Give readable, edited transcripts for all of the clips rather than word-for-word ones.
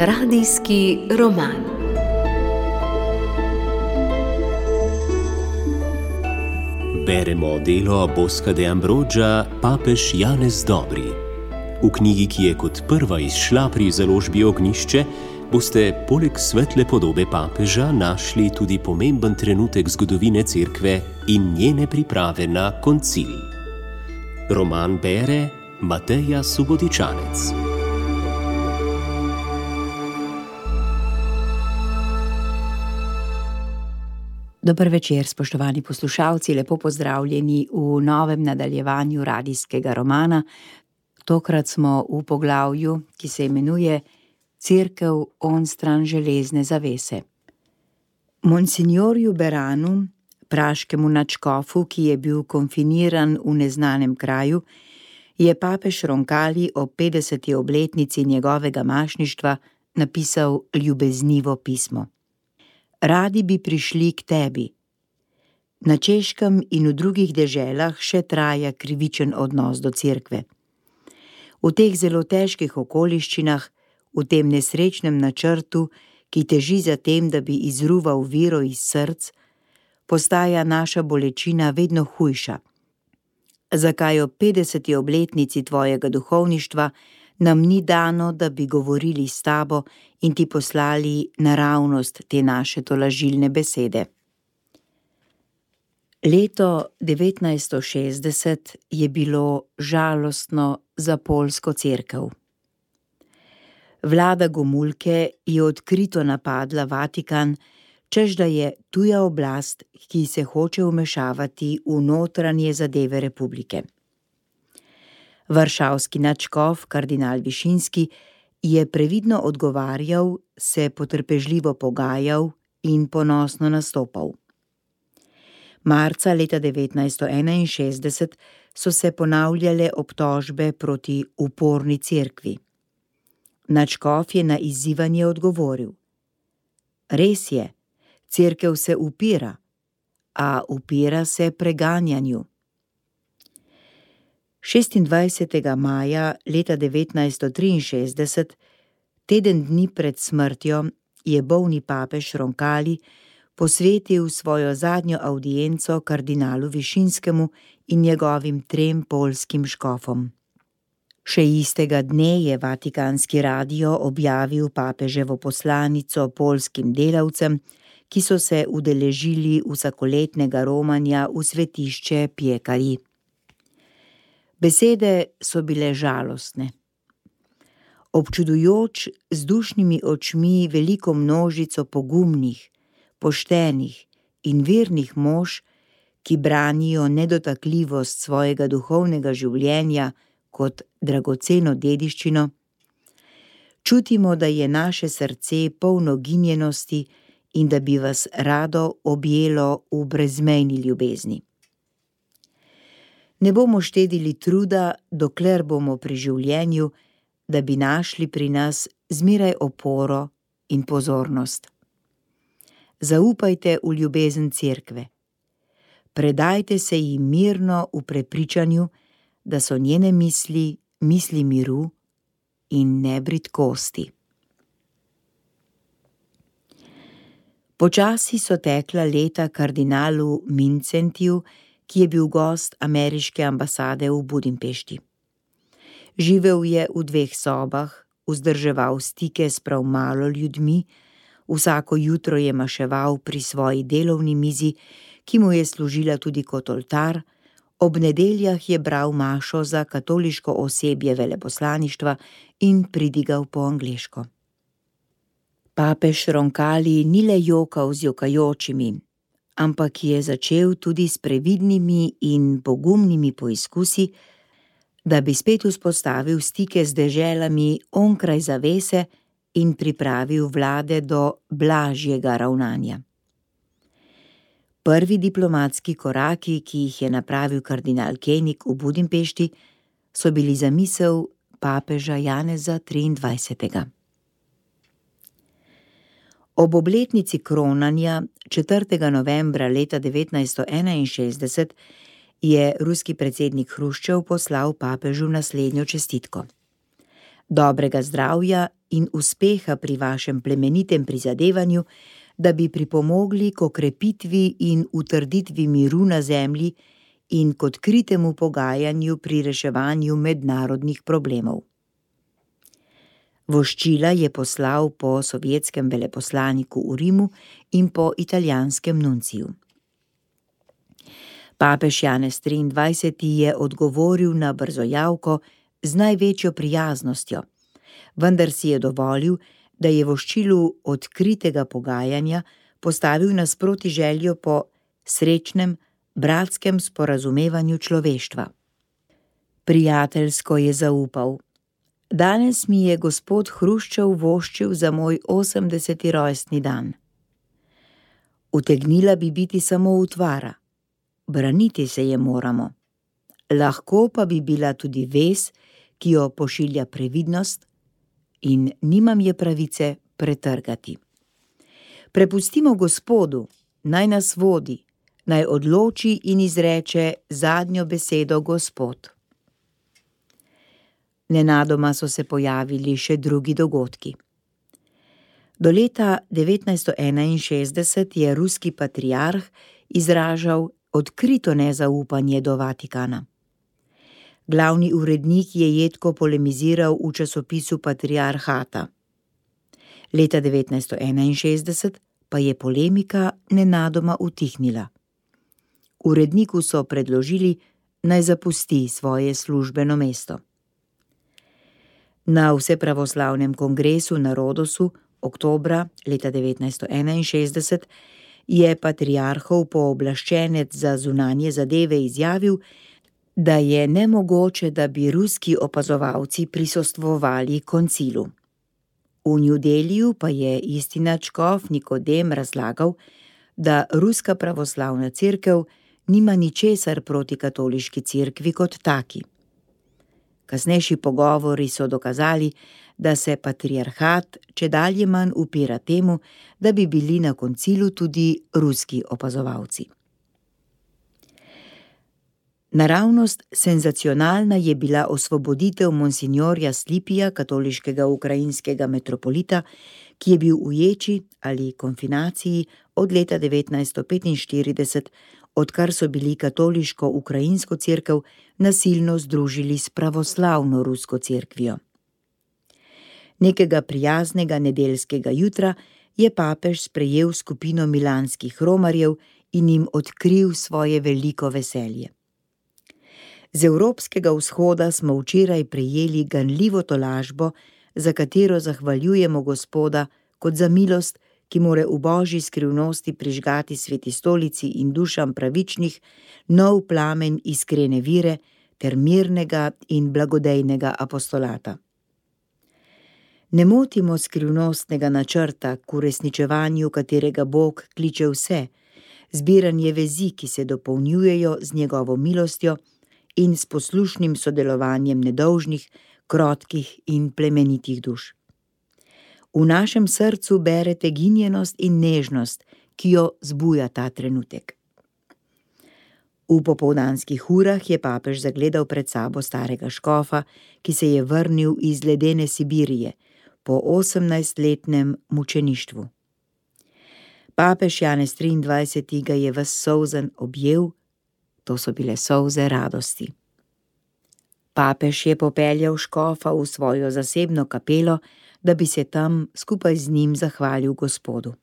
Radijski roman. Beremo delo Bosca de Ambroggia Papež Janez Dobri. V knjigi, ki je kot prva izšla pri založbi Ognjišče, boste poleg svetle podobe papeža našli tudi pomemben trenutek zgodovine Cerkve in njene priprave na koncil. Roman bere Mateja Subotičanec. Dober večer, spoštovani poslušalci, lepo pozdravljeni v novem nadaljevanju radijskega romana. Tokrat smo v poglavju, ki se imenuje Cerkev onstran železne zavese. Monsignorju Beranu, praškemu nadškofu, ki je bil konfiniran v neznanem kraju, je papež Roncalli o 50. obletnici njegovega mašništva napisal ljubeznivo pismo. Radi bi prišli k tebi. Na Češkem in v drugih deželah še traja krivičen odnos do cerkve. V teh zelo težkih okoliščinah, v tem nesrečnem načrtu, ki teži za tem, da bi izruval vero iz src, postaja naša bolečina vedno hujša. Zakaj ob 50. obletnici tvojega duhovništva nam ni dano, da bi govorili s tabo in ti poslali naravnost te naše tolažilne besede? Leto 1960 je bilo žalostno za poljsko cerkev. Vlada Gomulke je odkrito napadla Vatikan, češ da je tuja oblast, ki se hoče vmešavati v notranje zadeve republike. Varšavski nadškof, kardinal Višinski, je previdno odgovarjal, se potrpežljivo pogajal in ponosno nastopal. Marca leta 1961 so se ponavljale obtožbe proti uporni cerkvi. Nadškof je na izzivanje odgovoril: res je, cerkev se upira, a upira se preganjanju. 26. maja leta 1963, teden dni pred smrtjo, je bolni papež Roncalli posvetil svojo zadnjo avdienco kardinalu Višinskemu in njegovim 3 poljskim škofom. Še istega dne je Vatikanski radio objavil papeževo poslanico poljskim delavcem, ki so se udeležili vsakoletnega romanja v svetišče Piekarji. Besede so bile žalostne. Občudujoč z dušnimi očmi veliko množico pogumnih, poštenih in vernih mož, ki branijo nedotakljivost svojega duhovnega življenja kot dragoceno dediščino, čutimo, da je naše srce polno ginjenosti in da bi vas rado objelo v brezmejni ljubezni. Ne bomo štedili truda, dokler bomo pri življenju, da bi našli pri nas zmeraj oporo in pozornost. Zaupajte v ljubezen cerkve. Predajte se ji mirno v prepričanju, da so njene misli misli miru in ne bridkosti. Počasi so tekla leta kardinalu Mincentiju, ki je bil gost ameriške ambasade v Budimpešti. Živel je v 2 sobah, vzdrževal stike s prav malo ljudmi, vsako jutro je maševal pri svoji delovni mizi, ki mu je služila tudi kot oltar, ob nedeljah je bral mašo za katoliško osebje veleposlaništva in pridigal po angleško. Papež Roncalli ni le jokal z jokajočimi, ampak je začel tudi s previdnimi in pogumnimi poizkusi, da bi spet vzpostavil stike z deželami onkraj zavese in pripravil vlade do blažjega ravnanja. Prvi diplomatski koraki, ki jih je napravil kardinal Koenig v Budimpešti, so bili zamisel papeža Janeza 23. Ob obletnici kronanja 4. novembra leta 1961 je ruski predsednik Hruščov poslal papežu naslednjo čestitko. Dobrega zdravja in uspeha pri vašem plemenitem prizadevanju, da bi pripomogli k okrepitvi in utrditvi miru na zemlji in k odkritemu pogajanju pri reševanju mednarodnih problemov. Voščila je poslal po sovjetskem veleposlaniku v Rimu in po italijanskem nunciju. Papež Janez 23. je odgovoril na brzojavko z največjo prijaznostjo, vendar si je dovolil, da je voščilu odkritega pogajanja postavil nasproti željo po srečnem, bratskem sporazumevanju človeštva. Prijateljsko je zaupal: danes mi je gospod Hruščov voščil za moj 80. rojstni dan. Utegnila bi biti samo utvara, braniti se je moramo. Lahko pa bi bila tudi vez, ki jo pošilja previdnost, in nimam je pravice pretrgati. Prepustimo Gospodu, naj nas vodi, naj odloči in izreče zadnjo besedo Gospod. Nenadoma so se pojavili še drugi dogodki. Do leta 1961 je ruski patriarh izražal odkrito nezaupanje do Vatikana. Glavni urednik je jedko polemiziral v časopisu Patriarhata. Leta 1961 pa je polemika nenadoma utihnila. Uredniku so predložili, naj zapusti svoje službeno mesto. Na Vsepravoslavnem kongresu na Rodosu oktobra leta 1961 je patriarhov pooblaščenec za zunanje zadeve izjavil, da je nemogoče, da bi ruski opazovalci prisostvovali koncilu. V New Delhiju pa je istinačkov Nikodem razlagal, da ruska pravoslavna cerkev nima ničesar proti katoliški cerkvi kot taki. Kasnejši pogovori so dokazali, da se patriarhat čedalje manj upira temu, da bi bili na koncilu tudi ruski opazovalci. Naravnost senzacionalna je bila osvoboditev monsinjorja Slipija, katoliškega ukrajinskega metropolita, ki je bil v ječi ali konfinaciji od leta 1945, odkar so bili katoliško-ukrajinsko cerkev nasilno združili s pravoslavno rusko cerkvijo. Nekega prijaznega nedeljskega jutra je papež sprejel skupino milanskih romarjev in jim odkril svoje veliko veselje. Z evropskega vzhoda smo včeraj prejeli ganljivo tolažbo, za katero zahvaljujemo Gospoda kot za milost, ki more v božji skrivnosti prižgati Sveti stolici in dušam pravičnih nov plamen iskrene vire ter mirnega in blagodejnega apostolata. Ne motimo skrivnostnega načrta, k uresničevanju katerega Bog kliče vse, zbiranje vezi, ki se dopolnjujejo z njegovo milostjo in s poslušnim sodelovanjem nedolžnih, krotkih in plemenitih duš. V našem srcu berete ginjenost in nežnost, ki jo zbuja ta trenutek. V popoldanskih urah je papež zagledal pred sabo starega škofa, ki se je vrnil iz ledene Sibirije po 18-letnem mučeništvu. Papež Janez 23. ga je ves solzen objel, to so bile solze radosti. Papež je popeljal škofa v svojo zasebno kapelo, da bi se tam skupaj z njim zahvalil Gospodu.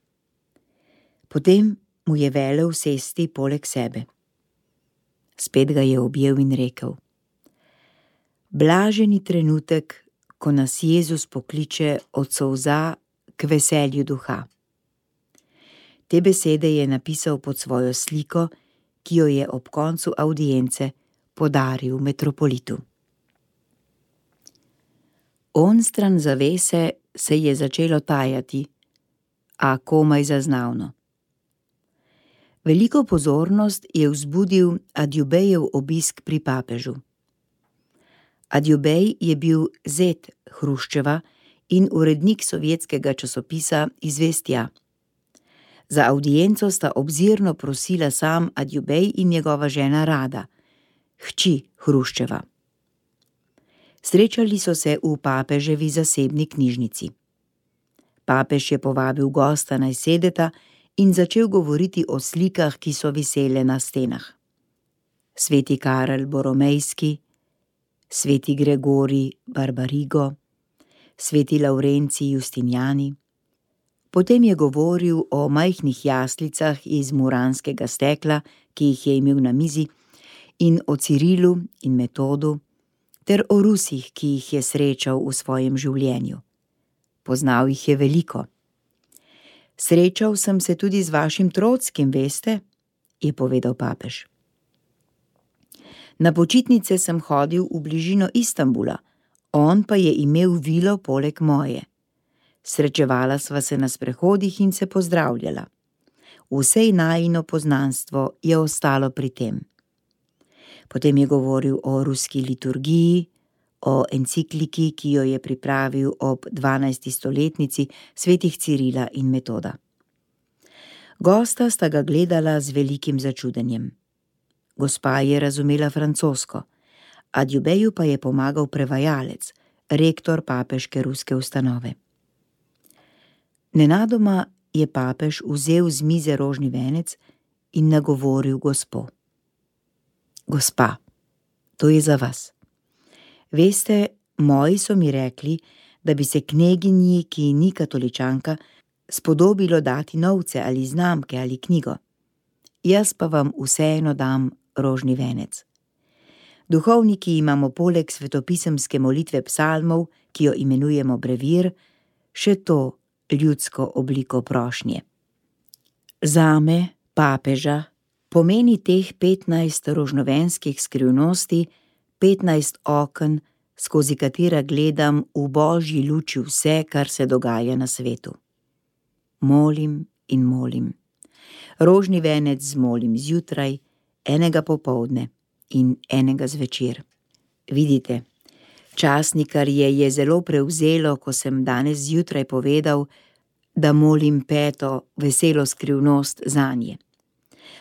Potem mu je velel sesti poleg sebe. Spet ga je objel in rekel: blaženi trenutek, ko nas Jezus pokliče od solza k veselju duha. Te besede je napisal pod svojo sliko, ki jo je ob koncu avdience podaril metropolitu. Onstran zavese se je začelo tajati, a komaj zaznavno. Veliko pozornost je vzbudil Adjubejev obisk pri papežu. Adjubej je bil zet Hruščeva in urednik sovjetskega časopisa Izvestja. Za avdienco sta obzirno prosila sam Adjubej in njegova žena Rada, hči Hruščeva. Srečali so se v papeževi zasebni knjižnici. Papež je povabil gosta, naj sedeta, in začel govoriti o slikah, ki so visele na stenah. Sveti Karel Boromejski, sveti Gregorij Barbarigo, sveti Lavrencij Justinjani. Potem je govoril o majhnih jaslicah iz muranskega stekla, ki jih je imel na mizi, in o Cirilu in Metodu, ter o Rusih, ki jih je srečal v svojem življenju. Poznal jih je veliko. Srečal sem se tudi z vašim Trotskim, veste, je povedal papež. Na počitnice sem hodil v bližino Istanbula, on pa je imel vilo poleg moje. Srečevala sva se na sprehodih in se pozdravljala. Vse najino poznanstvo je ostalo pri tem. Potem je govoril o ruski liturgiji, o encikliki, ki jo je pripravil ob 12. stoletnici svetih Cirila in Metoda. Gosta sta ga gledala z velikim začudenjem. Gospa je razumela francosko, adjubeju pa je pomagal prevajalec, rektor papeške ruske ustanove. Nenadoma je papež vzel z mize rožni venec in nagovoril gospo. Gospa, to je za vas. Veste, moji so mi rekli, da bi se kneginji, ki ni katoličanka, spodobilo dati novce ali znamke ali knjigo. Jaz pa vam vseeno dam rožni venec. Duhovniki imamo poleg svetopisemske molitve psalmov, ki jo imenujemo brevir, še to ljudsko obliko prošnje. Zame, papeža, pomeni teh 15 rožnovenskih skrivnosti 15 oken, skozi katera gledam v božji luči vse, kar se dogaja na svetu. Molim in molim. Rožni venec zmolim zjutraj, enega popoldne in enega zvečer. Vidite, časnikarje je zelo prevzelo, ko sem danes zjutraj povedal, da molim 5. veselo skrivnost zanje.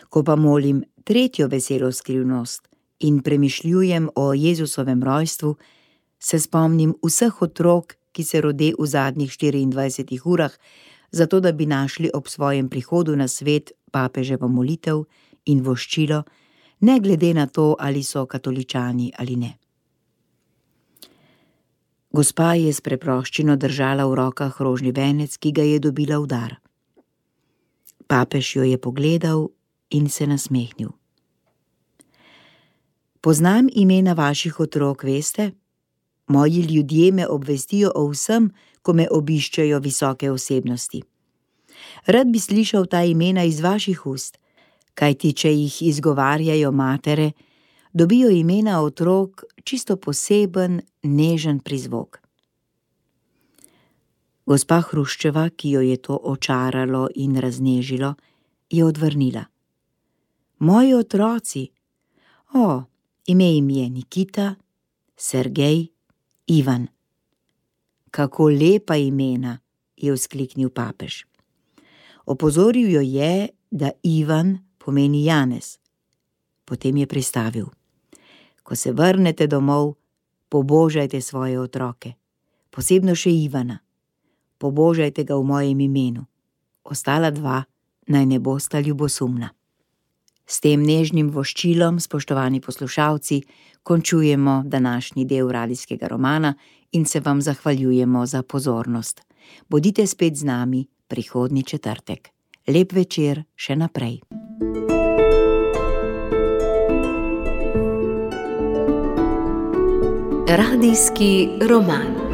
Ko pa molim 3. veselo skrivnost in premišljujem o Jezusovem rojstvu, se spomnim vseh otrok, ki se rode v zadnjih 24 urah, zato da bi našli ob svojem prihodu na svet papeževo molitev in voščilo, ne glede na to, ali so katoličani ali ne. Gospa je s preproščino držala v rokah rožni venec, ki ga je dobila v dar. Papež jo je pogledal in se nasmehnil. Poznam imena vaših otrok, veste? Moji ljudje me obvestijo o vsem, ko me obiščejo visoke osebnosti. Rad bi slišal ta imena iz vaših ust, kajti če jih izgovarjajo matere, dobijo imena otrok čisto poseben, nežen prizvok. Gospa Hruščeva, ki jo je to očaralo in raznežilo, je odvrnila. Moji otroci, ime jim je Nikita, Sergej, Ivan. Kako lepa imena, je vzkliknil papež. Opozoril jo je, da Ivan pomeni Janez. Potem je pristavil. Ko se vrnete domov, pobožajte svoje otroke, posebno še Ivana. Pobožajte ga v mojem imenu. Ostala 2 naj ne bosta ljubosumna. S tem nežnim voščilom, spoštovani poslušalci, končujemo današnji del radijskega romana in se vam zahvaljujemo za pozornost. Bodite spet z nami prihodnji četrtek. Lep večer še naprej. Radijski roman.